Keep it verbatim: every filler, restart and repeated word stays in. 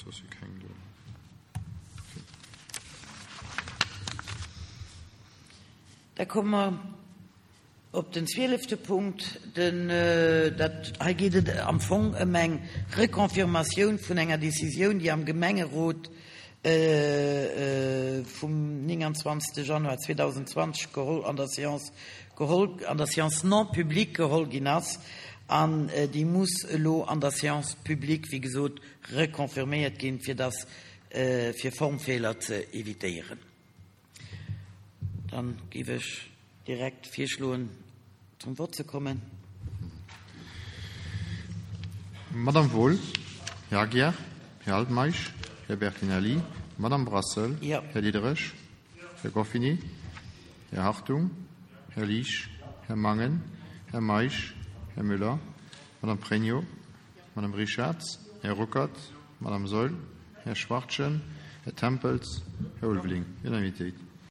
Soss si keng do. Da komme mer op den zwielefte Punkt. Den, dat, hei geet et am Fong ëm eng Reconfirmatioun vun enger Decisioun, déi am Gemengerot vum nénganzwanzegste Januar zweedausendzwanzeg geholl, an der Séance geholl, an der Séance non publique geholl ginn ass, an déi muss elo an der Séance publique, wéi gesot, reconfirméiert ginn, fir dass, fir Formfeeler ze évitéieren. Dann géif ech direkt virschloen, zum Vott ze kommen. Madame Wohl, Här Aguiar, Här Altmeisch, Här Bertinelli, Madame Brassel, Ja. Här Diderich, Här Goffini, Här Hartung, Här Liesch, Här Mangen, Här Meisch, Här Müller, Madame Pregno, Madame Richarz, Här Ruckert, Madame Saeul, Här Schwachtgen, Här Tempels, Här Ulveling. Unanimitéit.